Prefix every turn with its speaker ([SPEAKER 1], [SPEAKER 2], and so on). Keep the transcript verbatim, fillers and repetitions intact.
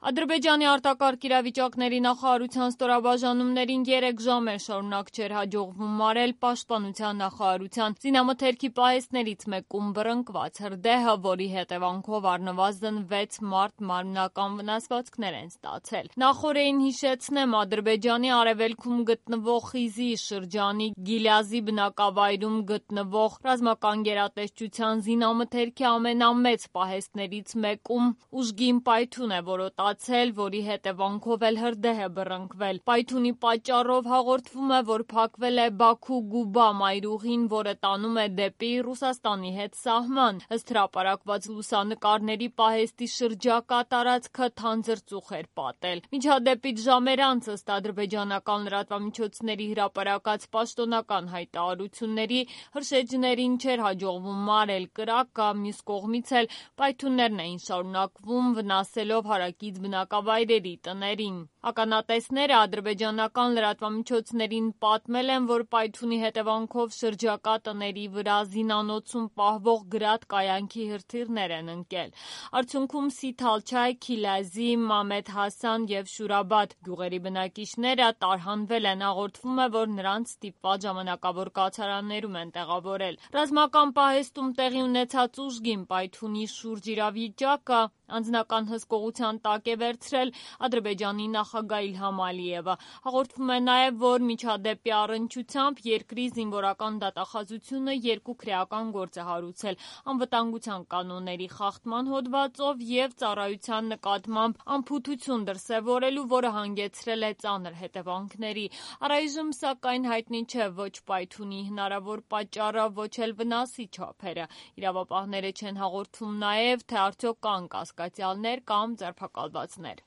[SPEAKER 1] Ադրբեջանի արտակարգ իրավիճակների նախարարության ստորաբաժանումներին երեք ժամ է շարունակ չէր հաջողվում մարել պաշտպանության նախարարության զինամթերքի պահեստներից մեկում բռնկված հրդեհը, որի հետևանքով առնվազն վեց մարդ մարմնական վնասվածքներ են ստացել։ Նախօրեին հիշեցնեմ, Ադրբեջանի արևելքում գտնվող Խիզի շրջանի Գիլազի բնակավայրում գտնվող ռազմական գերատեսչության զինամթերքի ամենամեծ պահեստներից մեկում ուժգին պայթյուն է որոտացել, որի հետևանքով էլ հրդեհ է բռնկվել։ Պայթյունի պատճառով հաղորդվում է, որ փակվել է Բաքու-Գուբա մայրուղին, որը տանում է դեպի Ռուսաստանի հետ սահման։ Ըստ հրապարակված լուսանկարների պահեստի շրջակա տարածքը թանձր ծուխ էր պատել։ Միջադեպից ժամեր անց, ըստ ադրբեջանական լրատվամիջոցների հրապարակած պաշտոնական հայտարարությունների, հրշեջներին չէր հաջողվում մարել կրակը, մյուս կողմից էլ պայթյուններն էին շարունակվում, վնասելով հարակից բնակավայրերի տներին։ Ականատեսները ադրբեջանական լրատվամիջոցներին պատմել են, որ պայթյունի հետևանքով շրջակա տների վրա զինանոցում պահվող գրադ-կայանքի հրթիռներ են ընկել։ Արդյունքում Սիթալչայ, Քիլազի, Մամեդ Հասան և Շուրաբադ գյուղերի բնակիչները տարհանվել են, հաղորդվում է, որ նրանց ստիպված ժամանակավոր կացարաններում են տեղավորել։ Ռազմական պահեստում տեղի ունեցած ուժգին պայթյունի շուրջ իրավիճակը անձնական հսկողության տակ է վերցրել Ադրբեջանի նախագահ Իլհամ Ալիևը։ Հաղորդվում է նաև, որ միջադեպի առնչությամբ երկրի զինվորական դատախազությունը երկու քրեական գործ է հարուցել անվտանգության կանոնների խախտման հոդվածով և ծառայության նկատմամբ անփութություն դրսևորելու, որը հանգեցրել է ծանր հետևանքների։ Առայժմ, սակայն, հայտնի չէ ոչ պայթյունի հնարավոր պատճառը, ոչ էլ վնասի չափերը։ Իրավապահները չեն հաղորդում նաև, թե արդյոք կան կասկածյալներ կամ ձերբակալվածներ։